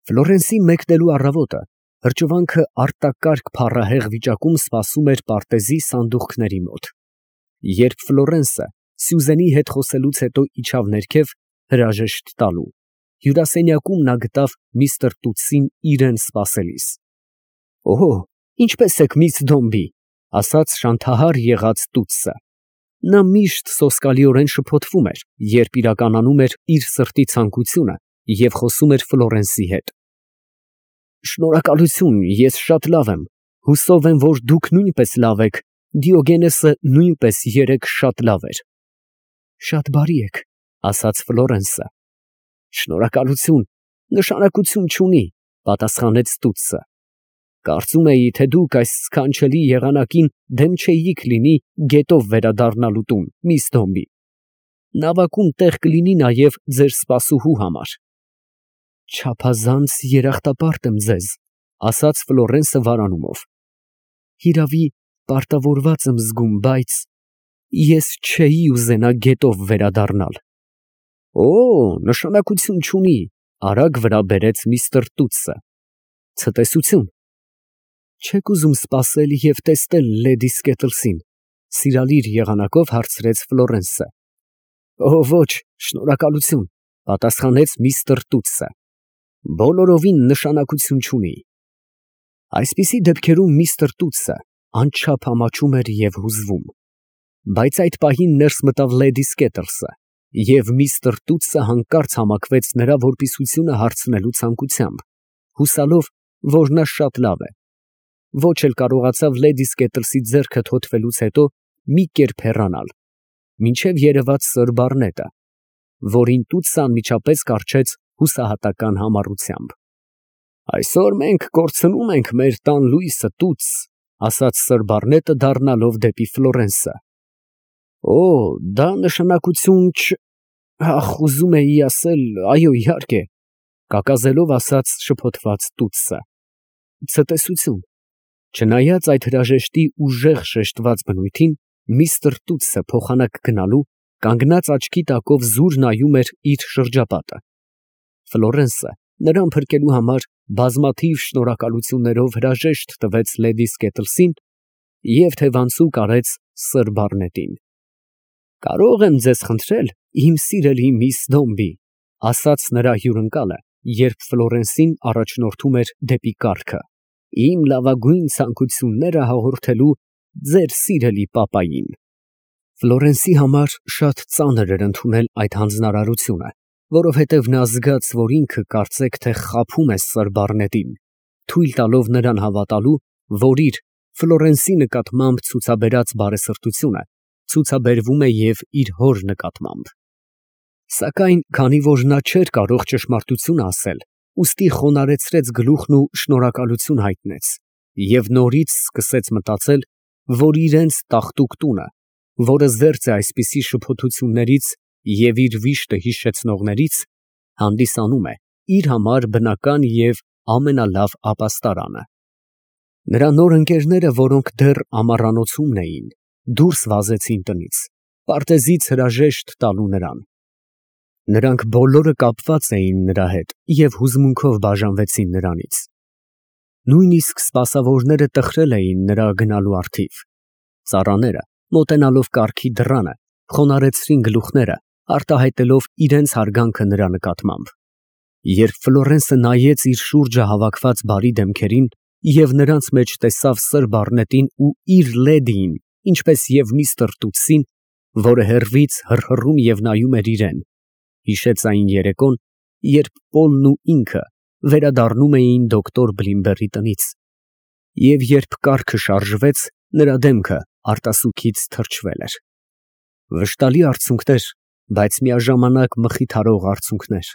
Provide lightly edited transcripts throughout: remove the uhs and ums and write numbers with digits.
Ֆլորենսի մեկնելու առավոտը հրճվանքը արտակարգ փառահեղ վիճակում սպասում էր պարտեզի սանդուղքների մոտ։ Երբ Ֆլորենսը Սյուզենի հետ խոսելուց հետո իջավ ներքև հրաժեշտ տալու, հյուրասենյակում նա գտավ միստր Տուտսին իրան սպասելիս։ «Օհո, ինչպե՞ս եք, միս Դոմբի», ֊ ասաց շանթահար եղած Տուտսը։ Նա միշտ սոսկալիորեն շփոթվում էր, երբ իրականանում էր իր սրտի ցանկությունը և խոսում էր Ֆլորենսի հետ։ «Շնորհակալություն, ես շատ լավ եմ, հուսով եմ, որ դուք նույնպես լավ եք, Դիոգենեսը նույնպես երեկ շատ լավ էր»։ «Շատ բարի եք», ֊ ասաց Ֆլորենսը։ «Շնորհակալություն, նշանակություն չունի», ֊ պատասխանեց Տուտսը։ «Կարծում էի, թե դուք այս սքանչելի եղանակին դեմ չէիք լինի գետով վերադառնալու տուն, միս Դոմբի։ Նավակում տեղ կլինի նաև ձեր սպասուհու համար»։ «Չափազանց երախտապարտ եմ ձեզ», ֊ ասաց Ֆլորենսը վարանումով։ «Հիրավի, պարտավորված եմ զգում, բայց ես չէի ուզենա գետով վերադառնալ»։ «Օ, նշանակություն չունի», ֊ արագ վրա բերեց միստր Տուտսը։ «Ցտեսություն։ Չեք ուզում սպասել և տեսնել լեդի Սկետլսին, ֊ սիրալիր եղանակով հարցրեց Ֆլորենսը։ «Օ, ոչ, շնորհակալություն», ֊ պատասխանեց միստր Տուտսը։ «Բոլորովին նշանակություն չունի»։ Այսպիսի դեպքերում միստր Տուտսը անչափ ամաչում էր և հուզվում։ Բայց այդ պահին ներս մտավ լեդի Սկետլսը, և միստր Տուտսը հանկարծ համակվեց նրա որպիսությունը հարցնելու ցանկությամբ, հուսալով, որ նա շատ լավ է։ Ոչ էլ կարողացավ լեդի Սկետլսի ձեռքը թոթվելուց հետո մի կերպ հեռանալ, մինչև երևաց սըր Բարնետը, որին Տուտսը անմիջապես կառչեց հուսահատական համառությամբ։ «Այսօր մենք կորցնում ենք մեր տան լույսը, Տուտս», ֊ ասաց սըր Բարնետը դառնալով դեպի Ֆլորենսը։ «Օ, դա նշանակություն ահ, ուզում էի ասել, այո, իհարկե», ֊ կակազելով ասաց շփոթված Տուտսը։ «Ցտեսություն»։ Չնայած այդ հրաժեշտի ուժեղ շեշտված բնույթին, միստր Տուտսը փոխանակ գնալու, կանգնած աչքի տակով զուր նայում էր իր շրջապատը։ Ֆլորենսը նրան փրկելու համար բազմաթիվ շնորհակալություններով հրաժեշտ տվեց լեդի Սկետլսին և թևանցուկ արեց սըր Բարնետին։ «Կարո՞ղ եմ ձեզ խնդրել, իմ սիրելի միս Դոմբի», ֊ ասաց նրա հյուրընկալը, երբ Ֆլորենսին առաջնորդում էր դեպի կառքը, «իմ լավագույն ցանկությունները հաղորդելու ձեր սիրելի պապային»։ Ֆլորենսի համար շատ ծանր էր ընդունել այդ հանձնարարությունը, որովհետև նա զգաց, որ ինքը կարծեք թե խաբում է սըր Բարնետին, թույլ տալով նրան հավատալու, որ իր Ֆլորենսի նկատմամբ ցուցաբերած բարեսրտությունը ցուցաբերվում է և իր հոր նկատմամբ։ Սակայն քանի որ նա չէր կարող ճշմարտությունը ասել, ուստի խոնարհեցրեց գլուխն ու շնորհակալություն հայտնեց, և նորից սկսեց մտածել, որ իրենց տաղտուկ տունը, որը զերծ է այսպիսի շփոթություններից և իր վիշտը հիշեցնողներից, հանդիսանում է իր համար բնական և ամենալավ ապաստարանը։ Նրա նոր ընկերները, որոնք դեռ ամառանոցումն էին, դուրս վազեցին տնից, պարտեզից հրաժեշտ տալու նրան։ Նրանք բոլորը կապված էին նրա հետ և հուզմունքով բաժանվեցին նրանից։ Նույնիսկ սպասավորները տխրել էին նրա գնալու առթիվ։ Ծառաները, մոտենալով կառքի դռանը, խոնարհեցրին գլուխները, արտահայտելով իրենց հարգանքը նրա նկատմամբ։ Երբ Ֆլորենսը նայեց իր շուրջը հավաքված բարի դեմքերին և նրանց մեջ տեսավ սըր Բարնետին ու իր լեդիին, ինչպես և միստր Տուտսին, որը հեռվից հռհռում և նայում էր իրան, հիշեց այն երեկոն, երբ Պոլն ու ինքը վերադառնում էին դոկտոր Բլիմբերի տնից, և երբ կառքը շարժվեց, նրա դեմքը արտասուքից թրջվել էր։ Վշտալի արցունքներ, բայց միաժամանակ մխիթարող արցունքներ,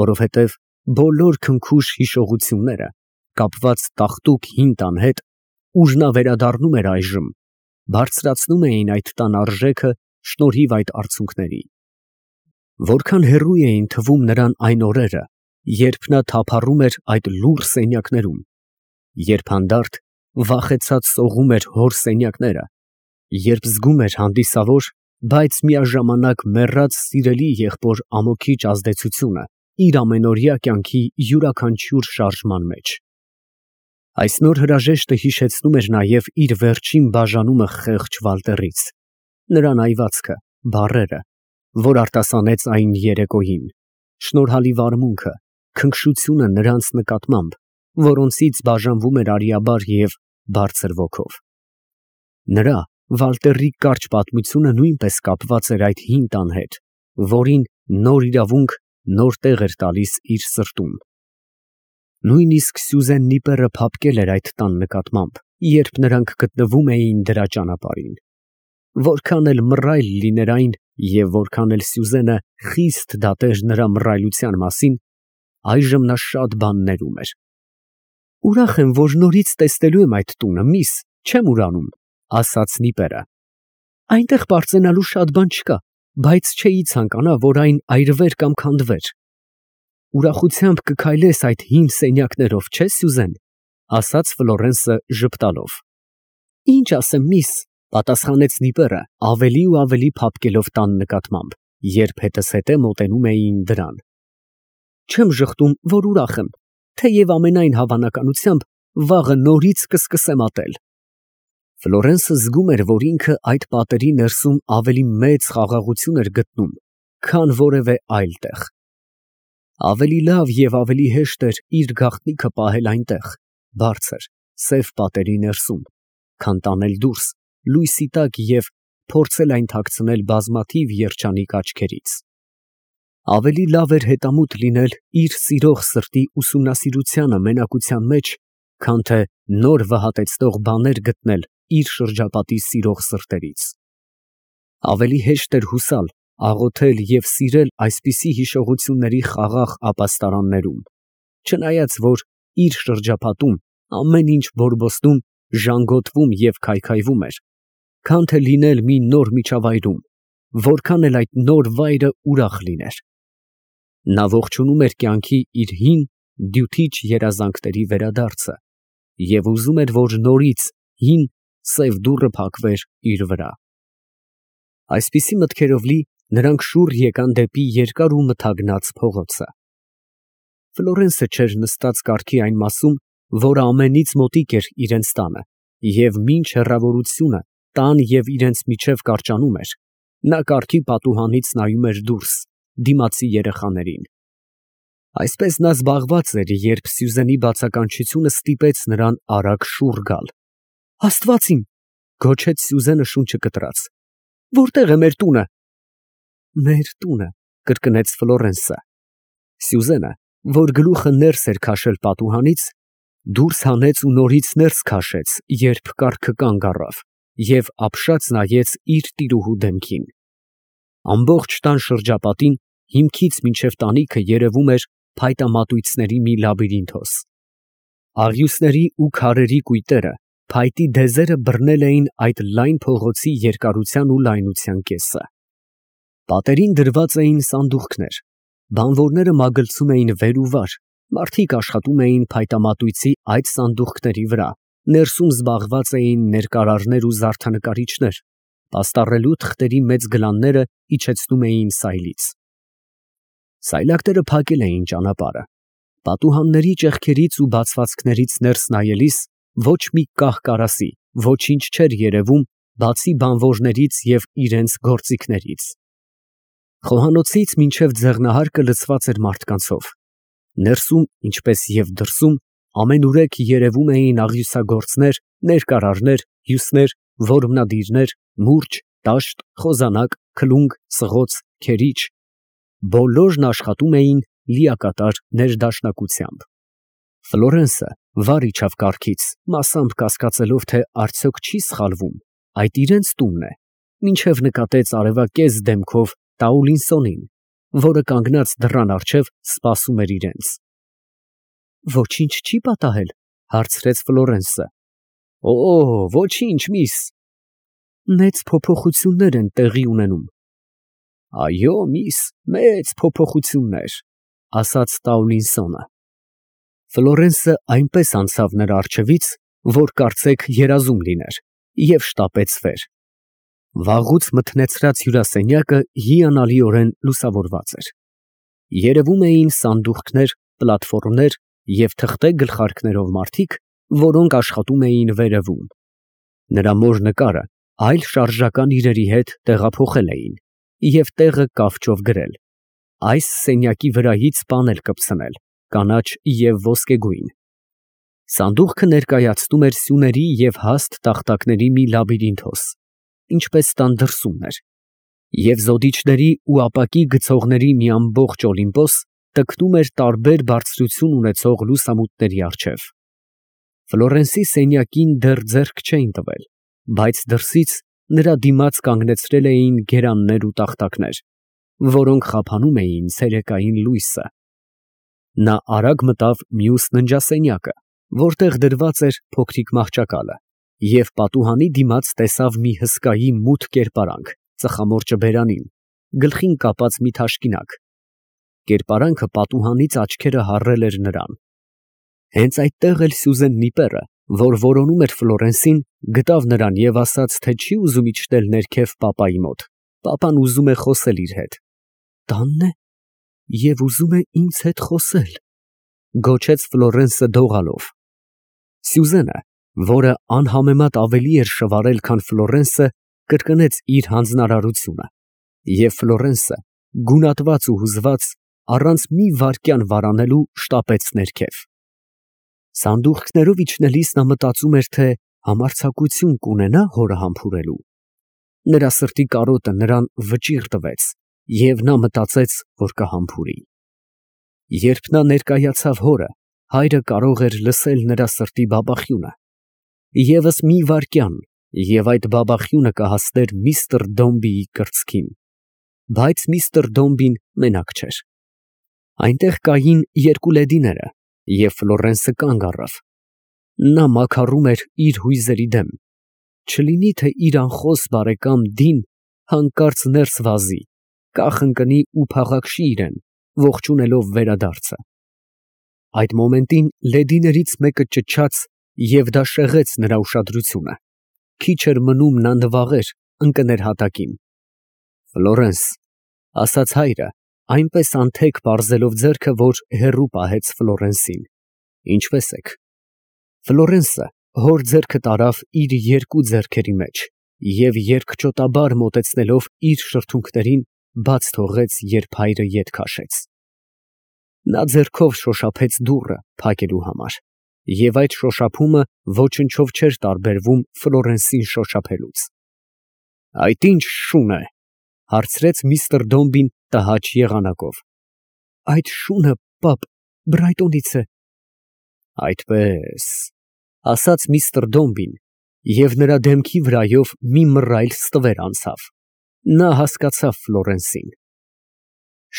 որովհետև բոլոր քնքուշ հիշողությունները, կապված տաղտուկ հին տան հետ, ուր նա վերադառնում էր այժմ, բարձրացնում էին այդ տան արժեքը շնորհիվ այդ արցունքների։ Որքան հեռու էին թվում նրան այն օրերը, երբ նա թափառում էր այդ լուռ սենյակներում, երբ հանդարտ, վախեցած սողում էր հոր սենյակները, երբ զգում էր հանդիսավոր, բայց միաժամանակ մեռած սիրելի եղբոր ամոքիչ ազդեցությունը իր ամենօրյա կյանքի յուրաքանչյուր շարժման մեջ։ Այս նոր հրաժեշտը հիշեցնում էր նաև իր վերջին բաժանումը խեղճ Վալտերից, նրա նայվածքը, բառերը, որ արտասանեց այն երեկոյին, շնորհալի վարմունքը, քնքշությունը նրանց նկատմամբ, որոնցից բաժանվում էր արիաբար և բարձր ոգով։ Նրա Վալտերի կարճ պատմությունը նույնպես կապված էր այդ հին տան հետ, որին նոր իրավունք, նոր տեղ էր տալիս իր սրտում։ Նույնիսկ Սյուզեն Նիպերը փափկել էր այդ տան նկատմամբ, երբ նրանք գտնվում էին դրա ճանապարհին։ Որքան էլ մռայլ լիներ այն և որքան էլ Սյուզենը խիստ դատեր նրա մռայլության մասին, այժմ նա շատ բաներ ուներ։ «Ուրախ եմ, որ նորից տեսնելու եմ այդ տունը, միս, չեմ ուրանում», ասաց Նիպերը։ «Այնտեղ պարծենալու շատ բան չկա, բայց չէի ցանկանա, որ այն այրվեր կամ քանդվեր»։ «Ուրախությամբ կքայլես այդ հին սենյակներով, չէ՞, Սյուզեն», ասաց Ֆլորենսը ժպտալով։ «Ինչ ասեմ, միս», պատասխանեց Նիպերը, ավելի ու ավելի փափկելով տան նկատմամբ, երբ հետզհետե մոտենում էին դրան։ «Չեմ ժխտում, որ ուրախ եմ, թեև ամենայն հավանականությամբ վաղը նորից կսկսեմ ատել»։ Ֆլորենսը զգում էր, որ ինքը այդ պատերի ներսում ավելի մեծ խաղաղություն էր գտնում, քան որևէ այլ տեղ։ Ավելի լավ և ավելի հեշտ էր իր գաղտնիքը պահել այնտեղ, բարձր, սև պատերի ներսում, քան տանել դուրս, լույսի տակ և փորձել այն թաքցնել բազմաթիվ երջանիկ աչքերից։ Ավելի լավ էր հետամուտ լինել իր սիրող սրտի ուսումնասիրությանը մենակության մեջ, քան թե նոր վհատեցնող բաներ գտնել իր շրջապատի սիրող սրտերից։ Ավելի հեշտ էր հուսալ, աղոթել և սիրել այսպիսի հիշողությունների խաղաղ ապաստարաններում, չնայած որ իր շրջապատում ամեն ինչ բորբոստում, ժանգոտվում և քայքայվում էր, քան թե լինել մի նոր միջավայրում, որքան էլ այդ նոր վայրը ուրախ լիներ։ Նա ողջունում էր կյանքի իր հին դյութիչ երազանքների վերադարձը և ուզում էր, որ նորից հին սև դուռը փակվեր իր վրա։ Այսպիսի մտքերով լի նրանք շուռ եկան դեպի երկար ու մթագնած փողոցը։ Ֆլորենսը չէր նստած կառքի այն մասում, որը ամենից մոտիկ էր իրենց տանը, և մինչ հեռավորությունը տան և իրենց միջև կարճանում էր, նա կառքի պատուհանից նայում էր դուրս, դիմացի երեխաներին։ Այսպես նա զբաղված էր, երբ Սյուզենի բացականչությունը ստիպեց նրան արագ շուռ գալ։ «Աստված իմ», գոչեց Սյուզենը շունչը կտրած, «որտե՞ղ է մեր տունը»։ «Մեր տունը», կրկնեց Ֆլորենսը։ Սյուզենը, որ գլուխը ներս էր քաշել պատուհանից, դուրս հանեց ու նորից ներս քաշեց, երբ կառքը կանգ առավ, և ապշած նայեց իր տիրուհու դեմքին։ Ամբողջ տան շրջապատին, հիմքից մինչև տանիքը երևում էր փայտամատույցների մի լաբիրինթոս։ Աղյուսների ու քարերի կույտերը, փայտի դեզերը բռնել էին այդ լայն փողոցի երկարության ու լայնության կեսը։ Պատերին դրված էին սանդուղքներ, բանվորները մագլցում էին վեր ու վար, մարդիկ աշխատում էին փայտամատույցի այդ սանդուղքների վրա, ներսում զբաղված էին ներկարարներ ու զարդանկարիչներ, պաստառելու թղթերի մեծ գլանները իջեցնում էին սայլից։ Սայլակները փակել էին ճանապարհը։ Պատուհանների ճեղքերից ու բացվածքներից ներս նայելիս ոչ մի կահ֊կարասի, ոչինչ չէր երևում, բացի բանվորներից և իրենց գործիքներից։ Խոհանոցից մինչև ձեղնահարկը լցված էր մարդկանցով։ Ներսում, ինչպես և դրսում, ամենուրեք երևում էին աղյուսագործներ, ներկարարներ, հյուսներ, որմնադիրներ, մուրճ, տաշտ, խոզանակ, քլունգ, ծղոց, քերիչ։ Բոլորն աշխատում էին լիակատար ներդաշնակությամբ։ Ֆլորենսը վար իջավ կառքից, մասամբ կասկածելով, թե արդյոք չի սխալվում, այդ իրենց տունն է, մինչև նկատեց արևակեզ դեմքով Տաուլինսոնին, որը կանգնած դռան առջև սպասում էր իրենց։ «Ոչինչ չի պատահել», հարցրեց Ֆլորենսը։ «Օ, ոչինչ, միս»։ «Մեծ փոփոխություններ են տեղի ունենում»։ «Այո, միս, մեծ փոփոխություններ», ասաց Տաուլինսոնը։ Ֆլորենսը այնպես անցավ նրա առջևից, որ կարծեք երազում լիներ, և շտապեց վեր։ Վաղուց մթնեցրած հյուրասենյակը հիանալիորեն լուսավորված էր։ Երևում էին սանդուղքներ, պլատֆորմներ և թղթե գլխարկներով մարդիկ, որոնք աշխատում էին վերևում։ Նրա մոր նկարը այլ շարժական իրերի հետ տեղափոխել էին և տեղը կավճով գրել. այս սենյակի վրայից պանել կպցնել, կանաչ և ոսկեգույն։ Սանդուղքը ներկայացնում էր սյուների և հաստ տախտակների մի լաբիրինթոս, ինչպես տան դրսումն էր, և զոդիչների ու ապակի գցողների մի ամբողջ օլիմպոս տկնում էր տարբեր բարձրություն ունեցող լուսամուտների առջև։ Ֆլորենսի սենյակին դեռ ձեռք չէին տվել, բայց դրսից նրա դիմաց կանգնեցրել էին գերաններ ու տախտակներ, որոնք խափանում էին ցերեկային լույսը։ Նա արագ մտավ մյուս ննջասենյակը, որտեղ դրված էր փոքրիկ մահճակալը, և պատուհանի դիմաց տեսավ մի հսկայի մութ կերպարանք ծխամորճը բերանին, գլխին կապած մի թաշկինակ։ Կերպարանքը պատուհանից աչքերը հառել էր նրան։ Հենց այդտեղ էլ Սյուզեն Նիպերը, որ որոնում էր Ֆլորենսին, գտավ նրան և ասաց, թե չի ուզում իջնել ներքև պապայի մոտ, պապան ուզում է խոսել իր հետ։ Տանն է և ուզում է ինձ հետ խոսել, գոչեց Ֆլորենսը դողալով։ Սյուզենը, որը անհամեմատ ավելի էր շվարել, քան Ֆլորենսը, կրկնեց իր հանձնարարությունը, և Ֆլորենսը, գունատված ու հուզված, առանց մի վայրկյան վարանելու շտապեց ներքև։ Սանդուղքներով իջնելիս նա մտածում էր, թե համարձակություն կունենա հորը համբուրելու։ Նրա սրտի կարոտը նրան վճիռ տվեց, և նա մտածեց, որ կհամբուրի։ Երբ նա ներկայացավ հորը, հայրը կարող էր լսել նրա սրտի բաբախյունը։ Եվս մի վայրկյան, և այդ բաբախյունը կհասներ միստր Դոմբիի կրծքին։ Բայց միստր Դոմբին մենակ չէր։ Այնտեղ կային երկու լեդիները, և Ֆլորենսը կանգ առավ։ Նա մաքառում էր իր հույզերի դեմ, չլինի թե իր անխոս բարեկամ Դին հանկարծ ներս վազի, կախ ընկնի ու փաղաքշի իրան, ողջունելով վերադարձը։ Այդ մոմենտին լեդիներից մեկը ճչաց, և դա շեղեց նրա ուշադրությունը։ Քիչ էր մնում նա նվաղեր, ընկներ հատակին։ Ֆլորենս, ֊ ասաց հայրը, այնպես անթեք պարզելով ձեռքը, որ հեռու պահեց Ֆլորենսին, ֊ ինչպե՞ս եք։ Ֆլորենսը հոր ձեռքը տարավ իր երկու ձեռքերի մեջ և երկճոտաբար մոտեցնելով իր շրթունքներին, բաց թողեց, երբ հայրը ետ քաշեց։ Նա ձեռքով շոշափեց դուռը փակելու համար, և այդ շոշափումը ոչնչով չէր տարբերվում Ֆլորենսին շոշափելուց։ «Այդ ի՞նչ շուն է», ֊ հարցրեց միստր Դոմբին տհաճ եղանակով։ «Այդ շունը, պապ, Բրայտոնից է»։ «Այդպե՞ս», ֊ ասաց միստր Դոմբին, և նրա դեմքի վրայով մի մռայլ ստվեր անցավ։ Նա հասկացավ Ֆլորենսին։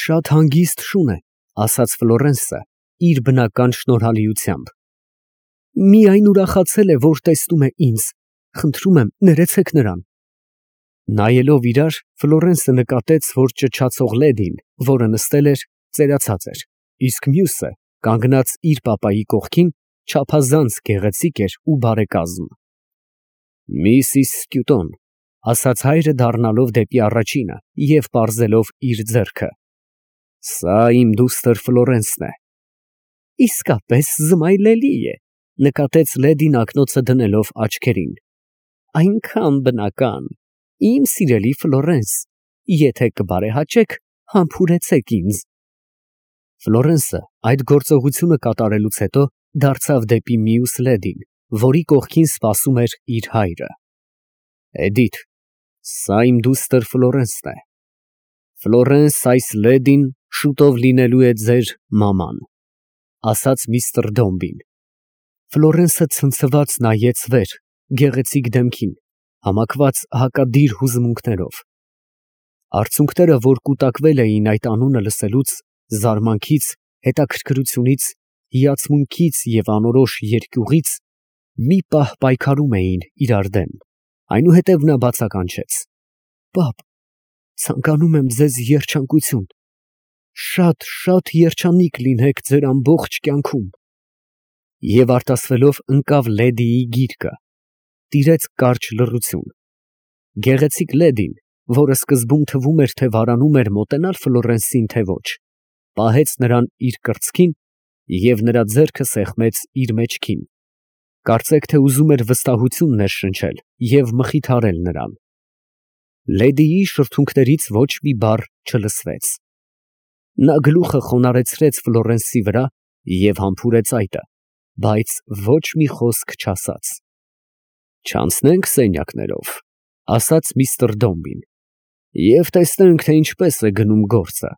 «Շատ հանգիստ շուն է», ֊ ասաց Ֆլորենսը իր բնական շնորհալիությամբ։ «Միայն ուրախացել է, որ տեսնում է ինձ, խնդրում եմ, ներեցեք նրան»։ Նայելով իրար, Ֆլորենսը նկատեց, որ ճչացող լեդին, որը նստել էր, ծերացած էր, իսկ մյուսը, կանգնած իր պապայի կողքին, չափազանց գեղեցիկ էր ու բարեկազմ։ «Միսիս Սկյուտոն», ֊ ասաց հայրը դառնալով դեպի առաջինը և պարզելով իր ձեռքը, ֊ սա իմ դուստր Ֆլորենսն է։ «Իսկապես զմայլելի է», ֊ նկատեց լեդին ակնոցը դնելով աչքերին։ «Այնքան բնական, իմ սիրելի Ֆլորենս, եթե կբարեհաճեք, համբուրեցեք ինձ»։ Ֆլորենսը այդ գործողությունը կատարելուց հետո դարձավ դեպի մյուս լեդին, որի կողքին սպասում էր իր հայրը։ «Էդիթ, սա իմ դուստր Ֆլորենսն է։ Ֆլորենս, այս լեդին շուտով լինելու է ձեր մաման», ֊ ասաց միստր Դոմբին։ Ֆլորենսը ցնցված նայեց վեր, գեղեցիկ դեմքին, համակված հակադիր հուզմունքներով։ Արցունքները, որ կուտակվել էին այդ անունը լսելուց, զարմանքից, հետաքրքրությունից, հիացմունքից և անորոշ երկյուղից, մի պահ պայքարում էին իրար դեմ, այնուհետև նա բացականչեց. «Պապ, ցանկանում եմ ձեզ երջանկություն, շատ երջանիկ լինեք ձեր ամբողջ կյանքում»։ Եվ արտասվելով ընկավ լեդիի գիրկը, տիրեց կարճ լռություն։ Գեղեցիկ լեդին, որը սկզբում թվում էր, թե վարանում էր մոտենալ Ֆլորենսին, թե ոչ, պահեց նրան իր կրծքին և նրա ձեռքը սեղմեց իր մեջքին, կարծեք թե ուզում էր վստահություն ներշնչել և մխիթարել նրան։ Լեդիի շրթունքներից ոչ մի բառ չլսվեց։ Նա գլուխը խոնարհեցրեց Ֆլորենսի վրա և համբուրեց այտը, բայց ոչ մի խոսք չասաց։ «Չանցնե՞նք սենյակներով», ֊ ասաց միստր Դոմբին, «և տեսնենք, թե ինչպես է գնում գործը։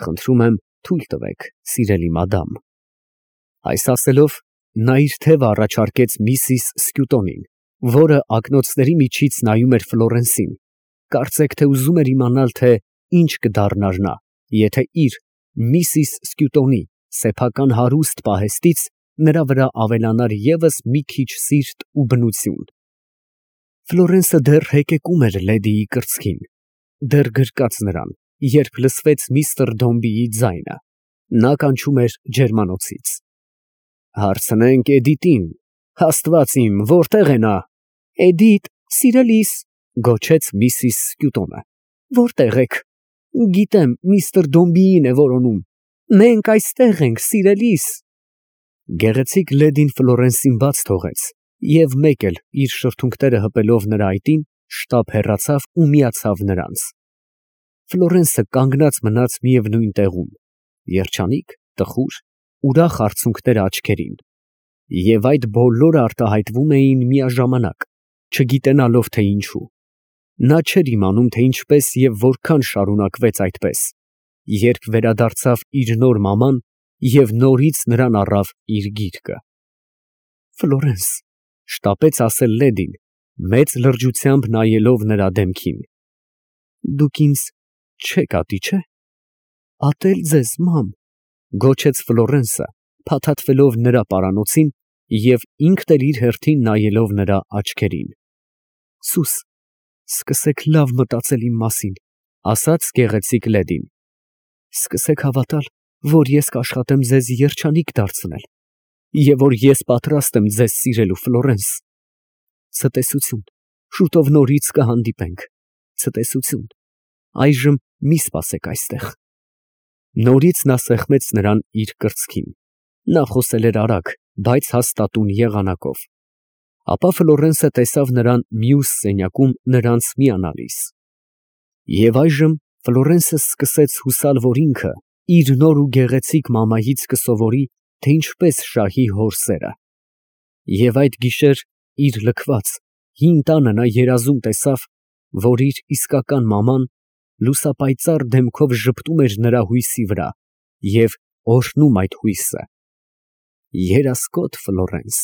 Խնդրում եմ, թույլ տվեք, սիրելի մադամ»։ Այս ասելով, նա իր թևը առաջարկեց միսիս Սկյուտոնին, որը ակնոցների միջից նայում էր Ֆլորենսին, կարծեք թե ուզում էր իմանալ, թե ինչ կդառնար նա, եթե իր՝ միսիս Սկյուտոնի սեփական հարուստ պահեստից նրա վրա ավելանար ևս մի քիչ սիրտ ու բնություն։ Ֆլորենսը դեռ հեկեկում էր լեդիի կրծքին, դեռ գրկած նրան, երբ լսվեց միստր Դոմբիի ձայնը։ Նա կանչում էր ջերմանոցից։ «Հարցնենք Էդիտին, Աստված իմ, որտե՞ղ է նա»։ «Էդիտ, սիրելիս», գոչեց միսիս Սկյուտոնը, «որտե՞ղ եք։ Գիտեմ, միստր Դոմբիին է որոնում։ Մենք այստեղ ենք, սիրելիս»։ Գեղեցիկ լեդին Ֆլորենսին բաց թողեց և մեկ էլ իր շրթունքները հպելով նրա այտին, շտապ հեռացավ ու միացավ նրանց։ Ֆլորենսը կանգնած մնաց միևնույն տեղում, երջանիկ, տխուր, ուրախ արցունքները աչքերին, և այդ բոլորը արտահայտվում էին միաժամանակ, չգիտենալով թե ինչու։ Նա չէր իմանում, թե ինչպես և որքան շարունակվեց այդպես, երբ վերադարձավ իր նոր մաման և նորից նրան առավ իր գիրկը։ «Ֆլորենս», ֊ շտապեց ասել լեդին, մեծ լրջությամբ նայելով նրա դեմքին, «դուք ինձ չեք ատի, չէ՞։ Ատել ձեզ, մամ», ֊ գոչեց Ֆլորենսը, փաթաթվելով նրա պարանոցին և ինքն էլ իր հերթին նայելով նրա աչքերին։ «Սուս, սկսեք լավ մտածել իմ մասին», ֊ ասաց գեղեցիկ լեդին։ «Սկսեք հավատալ, որ ես կաշխատեմ ձեզ երջանիկ դարձնել, և որ ես պատրաստ եմ ձեզ սիրելու, Ֆլորենս։ Ցտեսություն, շուտով նորից կհանդիպենք։ Ցտեսություն, այժմ մի սպասեք այստեղ»։ Նորից նա սեղմեց նրան իր կրծքին։ Նա խոսել էր արագ, բայց հաստատուն եղանակով։ Ապա Ֆլորենսը տեսավ նրան մյուս սենյակում նրանց միանալիս։ Եվ այժմ Ֆլորենսը սկսեց հուսալ, որ ինքը իր նոր ու գեղեցիկ մամայից կսովորի, թե ինչպես շահի հոր սերը։ Եվ այդ գիշեր իր լքված, հին տանը նա երազում տեսավ, որ իր իսկական մաման լուսապայծառ դեմքով ժպտում էր նրա հույսի վրա և օրհնում այդ հույսը։ Երասկոտ Ֆլորենս։